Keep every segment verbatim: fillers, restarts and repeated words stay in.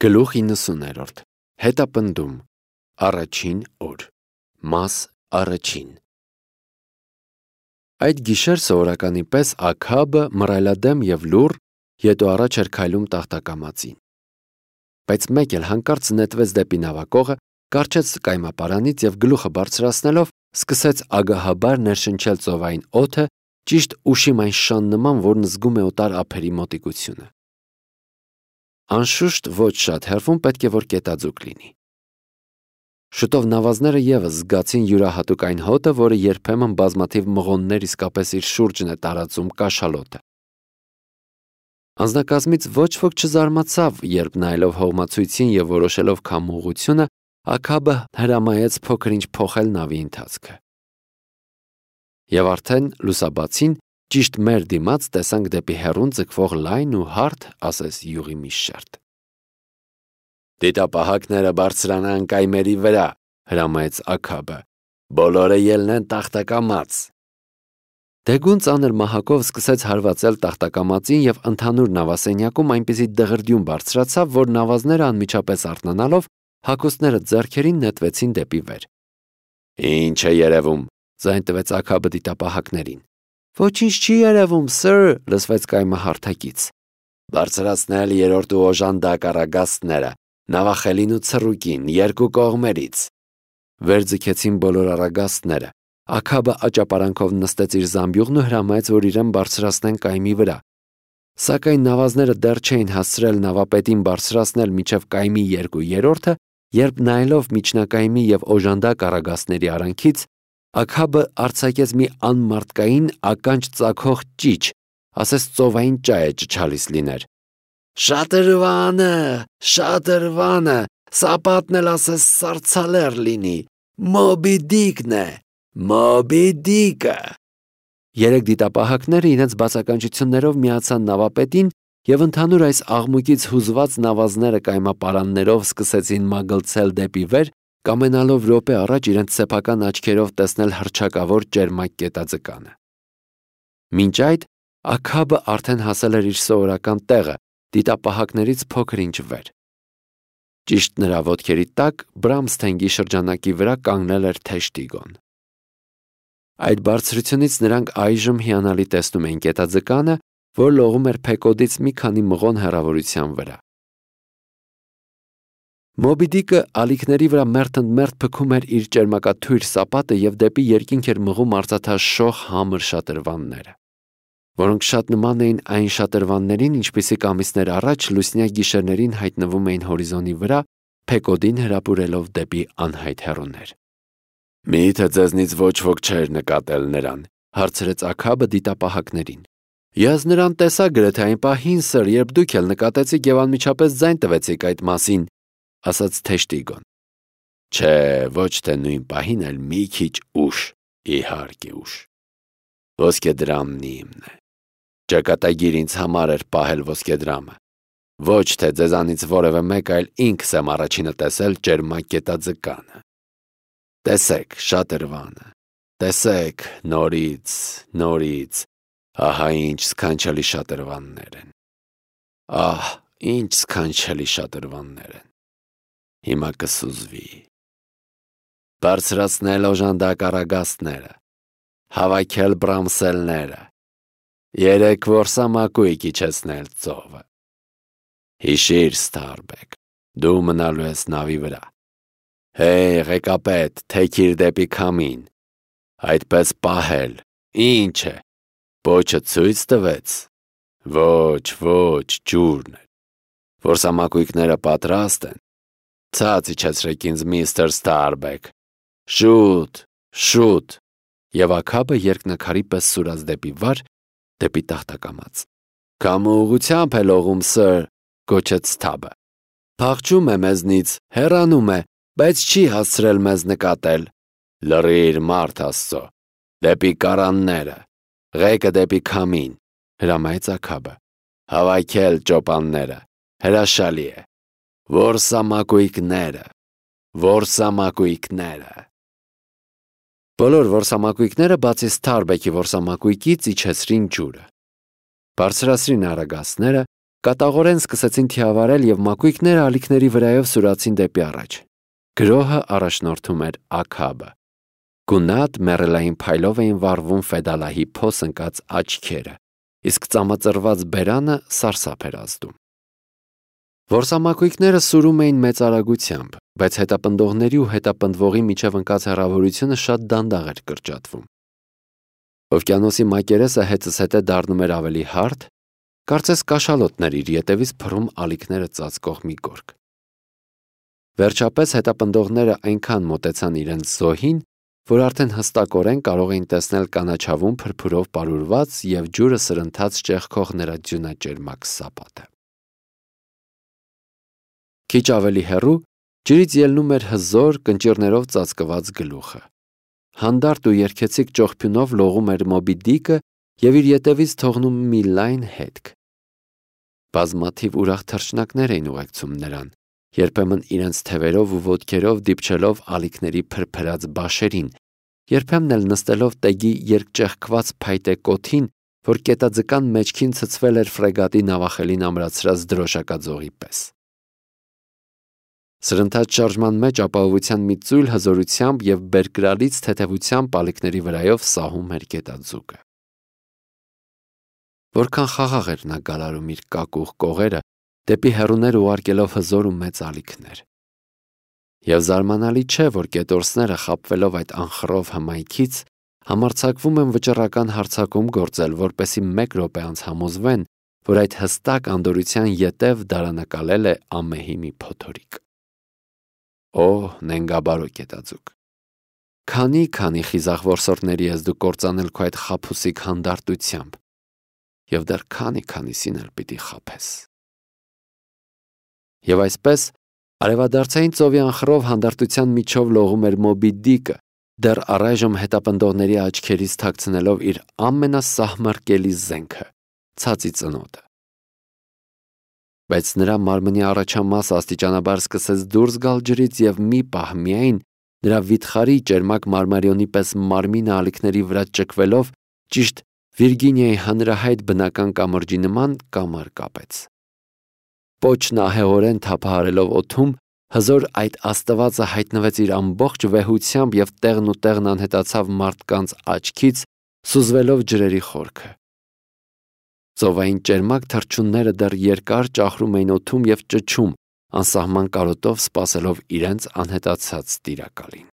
Գլուխ իննսուներորդ Հետապնդում Առաջին օր Մաս առաջին Այդ գիշեր սովորականի պես Աքաբը մռայլադեմ և լուռ ետո առաջ էր քայլում տախտակամածին։ Բայց մեկ էլ հանկարծ նետվեց դեպի նավակողը, կառչեց կայմապարանից և գլուխը բարձրացնելով սկսեց ագահաբար ներշնչել ծովային օդը ճիշտ ուշիմ այն շան նման, որն զգում է օտար ափերի մոտիկությունը։ Անշուշտ ոչ շատ հեռվում պետք է որ կետաձուկ լինի։ Շուտով նավազները ևս զգացին յուրահատուկ այն հոտը, որը երբեմն բազմաթիվ մղոններ իսկապես իր շուրջն է տարածում կաշալոտը։ Անձնակազմից ոչ ոք չզարմացավ, երբ նայելով հողմացույցին և որոշելով քամու ուղղությունը, Աքաբը հրամայեց փոքր-ինչ փոխել նավի ընթացքը։ Եվ արդեն լուսաբացին ճիշտ մեր դիմաց տեսանք դեպի հեռուն ձգվող լայն ու հարթ, ասես յուղի մի շերտ։ «Դիտապահակները բարձրանան կայմերի վրա», հրամայեց Աքաբը։ «Բոլորը ելնեն տախտակամաց»։ Դեգուն ծանր մահակով սկսեց հարվածել տախտակամածին և ընդհանուր նավասենյակում այնպիսի դղրդյուն բարձրացավ, որ նավազները անմիջապես արթնանալով հագուստները ձեռքերին նետվեցին դեպի վեր։ «Ինչ է երևում», ձայն տվեց Աքաբը դիտապահակներին։ «Ոչինչ չի երևում, սըր», լսվեց կայմը հարթակից։ «Բարձրացնել երրորդ ու օժանդակ առագաստները, նավախելին ու ցռուկին, երկու կողմերից»։ Վեր ձգեցին բոլոր առագաստները։ Աքաբը աճապարանքով նստեց իր զամբյուղն ու հրամայեց, որ իրեն բարձրացնեն կայմի վրա։ Սակայն նավազները դեռ չէին հասցրել նավապետին բարձրացնել մինչև կայմի երկու երրորդը, երբ նայելով միջնակայմի և օժանդակ առագաստների արանքից, Աքաբը արձակեց մի անմարդկային ականջ ծագող ճիչ, ասես ծովային ճա է ճչալիս լիներ։ «Շատրվանը, շատրվանը, սապատն էլ ասես սառցալեռ լինի, Մոբի Դիկն է, Մոբի Դիկը»։ Երեք դիտապահակները իրենց բացականչություններով միացան նավապետին և ընդհանուր այս աղմուկից հուզված նավազները կայմապարաններով սկսեցին մագլցել դեպի վեր, կամենալով րոպե առաջ իրենց սեփական աչքերով տեսնել հռչակավոր ճերմակ կետաձկանը։ Մինչ այդ Աքաբը արդեն հասել էր իր սովորական տեղը, դիտապահակներից փոքր-ինչ վեր։ Ճիշտ նրա ոտքերի տակ Բրամսթենգի շրջանակի վրա կանգնել էր թեժ տիգոն։ Այդ բարձրությունից նրանք այժմ հիանալի տեսնում էին կետաձկանը, որ լողում էր Փեկոդից մի քանի մղոն հեռավորության վրա։ Մոբի Դիկը ալիքների վրա մերթընդմերթ փքում էր իր ճերմակաթույր սապատը և դեպի երկինք էր մղում արծաթաշող համր շատրվանները, որոնք շատ նման էին այն շատրվաններին, ինչպիսիք ամիսներ առաջ լուսնյա գիշերներին հայտնվում էին հորիզոնի վրա, Փեկոդին հրապուրելով դեպի անհայտ հեռուներ։ «Մի՞թե ձեզնից ոչ ոք չէր նկատել նրան», հարցրեց Աքաբը դիտապահակներին։ «Ես նրան տեսա գրեթե այն պահին, սըր, երբ դուք էլ նկատեցիք և անմիջապես ձայն տվեցիք այդ մասին», ասաց թեժ տիգոն։ «Չէ, ոչ թե նույն պահին, այլ մի քիչ ուշ, իհարկե ուշ։ Ոսկեդրամն իմն է։ Ճակատագիր ինձ համար էր պահել ոսկեդրամը։ Ոչ թե ձեզանից որևէ մեկ, այլ ինքս եմ առաջինը տեսել ճերմակ կետաձկանը։ Տեսեք շատրվանը, տեսեք նորից, նորից, ահա ինչ սքանչելի շատրվաններ են։ Ահ, ինչ սքանչելի շատրվաններ են։ Հիմա կսուզվի։ Բարձրացնել օժանդակ առագաստները, հավաքել բրամսելները, երեք որսամակույկ իջեցնել ծովը։ Հիշիր, Սթարբեք, դու մնալու ես նավի վրա։ Հեյ, ղեկապետ, թեքիր դեպի քամին, այդպես պահել, ինչ է, պոչը ցույց տվեց։ Ոչ, ոչ, ջուրն է։ Որսամակույկները պատրաստ են։ Ցած իջեցրեք ինձ, միստր Սթարբեք։ Շուտ, շուտ։ Եվ Աքաբը երկնաքարի պես սուրաց դեպի վար, դեպի տախտակամաց։ Քամու ուղղությամբ է լողում, սըր, գոչեց Սթաբը։ Փախչում է մեզնից, հեռանում է, բայց չի հասցրել մեզ նկատել։ Լռիր, մարդ Աստծո, դեպի կարանները, ղեկը դեպի քամին, հրամայեց Աքաբը։ Հավաքել ճոպանները, հրաշալի է։ Որսամակույկները, որսամակույկները։ Բոլոր որսամակույկները բացի Սթարբեկի որսամակույկից իջեցրին ջուրը։ Բարձրացրին առագաստները, կատաղորեն սկսեցին թիավարել և մակույկները ալիքների վրայով սուրացին դեպի առաջ։ Գրոհը առաջնորդում էր Աքաբը։ Գունատ մեռելային փայլով էին վառվում Ֆեդալահի փոս ընկած աչքերը, իսկ ծամածրված բերանը սարսափ էր ազդում։ Որսամակույկները սուրում էին մեծ արագությամբ, բայց հետապնդողների ու հետապնդվողի միջև ընկած հեռավորությունը շատ դանդաղ էր կրճատվում։ Օվկիանոսի մակերեսը հետզս հետե դառնում էր ավելի հարթ, կարծես կաշալոտներ իր ետևից փռում ալիքները ծածկող մի գորգ։ Վերջապես հետապնդողները այնքան մոտեցան իրենց զոհին, որ արդեն հստակորեն կարող էին տեսնել կանաչավուն փրփուրով պարուրված և ջուրը սրընթաց ճեղքող նրա ձյունաճերմակ սապատը։ Քիչ ավելի հեռու ջրից ելնում էր հզոր, կնճիռներով ծածկված գլուխը։ Հանդարտ ու երգեցիկ ճողփյունով լողում էր Մոբի Դիկը և իր ետևից թողնում մի լայն հետք։ Բազմաթիվ ուրախ թռչնակներ էին ուղեկցում նրան, երբեմն իրենց թևերով ու ոտքերով դիպչելով ալիքների փրփրած բաշերին, երբեմն էլ նստելով տեգի երկճեղքված փայտե կոթին, որ կետաձկան մեջքին ցցվել էր ֆրեգատի նավախելին ամրացրած դրոշակաձողի պես։ Սրընթաց շարժման մեջ ապահովության մի ծույլ հզորությամբ և բերկրալից թեթևությամբ ալիքների վրայով սահում էր գետաձուկը։ Որքան խաղաղ էր նա գալարում իր կակուղ կողերը, դեպի հեռուներ ուղարկելով հզոր ու մեծ ալիքներ։ Եվ զարմանալի չէ, որ գետորսները, խաբվելով այդ անխռով հմայքից, համարձակվում են վճռական հարձակում գործել, որպեսզի մեկ րոպե անց համոզվեն, որ այդ հստակ անդորրության ետև դարանակալել է ամեհի մի փոթորիկ։ Օ, նենգաբարո գետաձուկ, քանի-քանի խիզախ որսորդների ես դու կործանել քո այդ խաբուսիկ հանդարտությամբ, և դեռ քանի-քանիսին էլ պիտի խաբես։ Եվ այսպես արևադարձային ծովի անխռով հանդարտության միջով լողում էր Մոբի Դիկը, դեռ առայժմ հետապնդողների աչքերից թաքցնելով իր ամենասահմռկելի զենքը՝ ցածի ծնոտը։ Բայց նրա մարմնի առաջամասը աստիճանաբար սկսեց դուրս գալ ջրից և մի պահ միայն նրա վիթխարի ճերմակ մարմարիոնի պես մարմինը ալիքների վրա ճկվելով ճիշտ Վիրգինիայի հանրահայտ բնական կամրջի նման կամար կապեց։ Պոչն ահեղորեն թափահարելով օդում, հզոր այդ աստվածը հայտնվեց իր ամբողջ վեհությամբ և տեղն ու տեղն անհետացավ մարդկանց աչքից, սուզվելով ջրերի խորքը։ Ծովային ճերմակ թռչունները դեռ երկար ճախրում էին օդում և ճչում, անսահման կարոտով սպասելով իրենց անհետացած տիրակալին։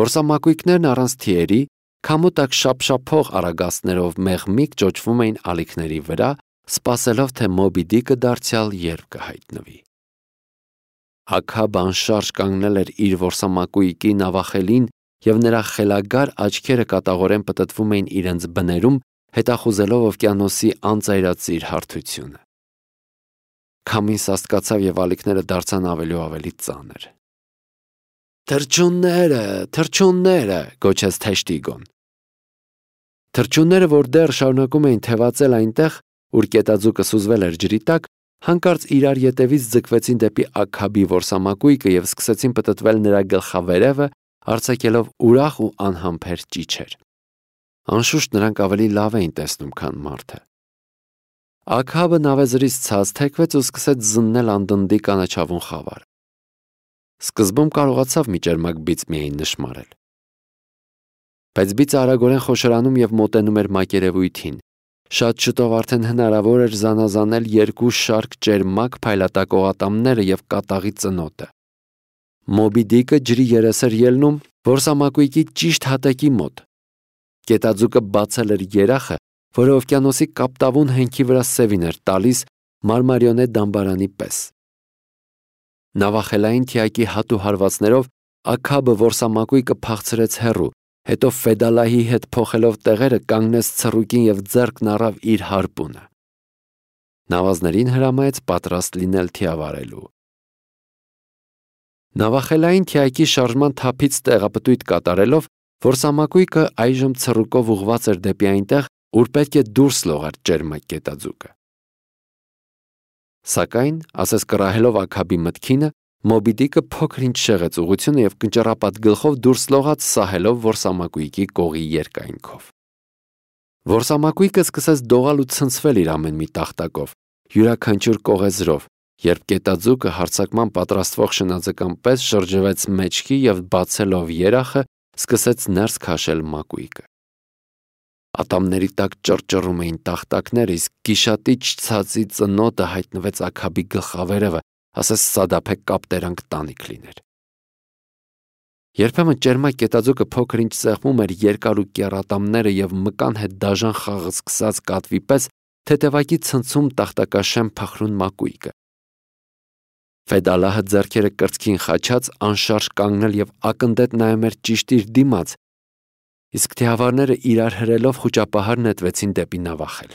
Որսամակույկներն առանց թիերի, քամու տակ շափշափող արագածներով մեղմիկ ճոճվում էին ալիքների վրա, սպասելով, թե Մոբի Դիկը դարձյալ երբ կհայտնվի։ Աքաբը անշարժ կանգնել էր իր որսամակույկի նավախելին, և նրա խելագար աչքերը կատաղորեն պտտվում էին իրենց բներում, հետախուզելով օվկիանոսի անծայրածիր հարթությունը։ Քամին սաստկացավ և ալիքները դարձան ավելի ու ավելի ծանր։ «Թռչունները, թռչունները», գոչեց Թեշտիգոն։ Թռչունները, որ դեռ շարունակում էին թևածել այնտեղ, ուր գետաձուկը սուզվել էր ջրի տակ, հանկարծ իրար ետևից ձգվեցին դեպի Աքաբի որսամակույկը և սկսեցին պտտվել նրա գլխավերևը, արձակելով ուրախ ու անհամբեր ճիչեր։ Անշուշտ նրանք ավելի լավ էին տեսնում, քան մարդը։ Աքաբը նավեզրից ցած թեքվեց ու սկսեց զննել անդնդի կանաչավուն խավարը։ Սկզբում կարողացավ մի ճերմակ բիծ միայն նշմարել։ Բայց բիծը արագորեն խոշորանում և մոտենում էր մակերևույթին։ Շատ շուտով արդեն հնարավոր էր զանազանել երկու շարք ճերմակ փայլատակ օղատամները և կատաղի ծնոտը։ Մոբի Դիկը ջրի երես էր ելնում որսամակույկի ճիշտ հատակի մոտ։ Գետաձուկը բացել էր երախը, որը օվկիանոսի կապտավուն հենքի վրա սևին էր տալիս մարմարիոնե դամբարանի պես։ Նավախելային թիակի հատու հարվածներով Աքաբը որսամակույկը փախցրեց հեռու, հետո Ֆեդալահի հետ փոխելով տեղերը կանգնեց ցռուկին և ձեռքն առավ իր հարպունը։ Նավազներին հրամայեց պատրաստ լինել թիավարելու։ Նավախելային թիակի շարժման թափից տեղապտույտ կատարելով, որսամակույկը այժմ ցռուկով ուղղված էր դեպի այնտեղ, ուր պետք է դուրս լողար ճերմակ գետաձուկը։ Սակայն, ասես կռահելով Աքաբի մտքինը, Մոբի Դիկը փոքր-ինչ շեղեց ուղղությունը և կնճռապատ գլխով դուրս լողաց, սահելով որսամակույկի կողի երկայնքով։ Որսամակույկը սկսեց դողալ ու ցնցվել իր ամեն մի տախտակով, յուրաքանչյուր կողեզրով, երբ գետաձուկը հարձակման պատրաստվող շնաձկան պես շրջվեց մեջքի և բացելով երախը, սկսեց ներս քաշել մակույկը։ Ատամների տակ ճռճռում էին տախտակները, իսկ գիշատիչ ցածի ծնոտը հայտնվեց աքաբի գլխավերևը, ասես սադափե կապտերանք տանիք լիներ։ Երբեմն ճերմակ գետաձուկը փոքր ինչ սեղմում էր երկար ու կեռ ատամները և մկան հետ դաժան խաղ սկսած կատվի պես թեթևակի ցնցում տախտակաշեմ փխրուն մակույկը։ Ֆեդալահը ձեռքերը կրծքին խաչած անշարժ կանգնել և ակնթեթ նայում էր ճիշտ իր դիմաց, իսկ թիավարները իրար հրելով խուճապահար նետվեցին դեպի նավախել։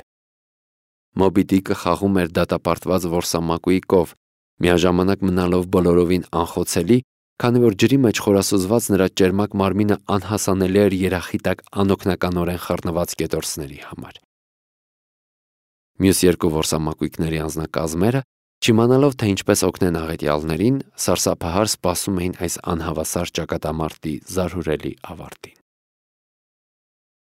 Մոբի Դիկը խաղում էր դատապարտված որսամակույկով, միաժամանակ մնալով բոլորովին անխոցելի, քանի որ ջրի մեջ խորասուզված նրա ճերմակ մարմինը անհասանելի էր երախի տակ անօգնականորեն խռնված կետորսների համար։ Մյուս երկու որսամակույկների անձնակազմերը, չիմանալով թե ինչպես օգնեն աղետյալներին, սարսափահար սպասում էին այս անհավասար ճակատամարտի զարհուրելի ավարտին։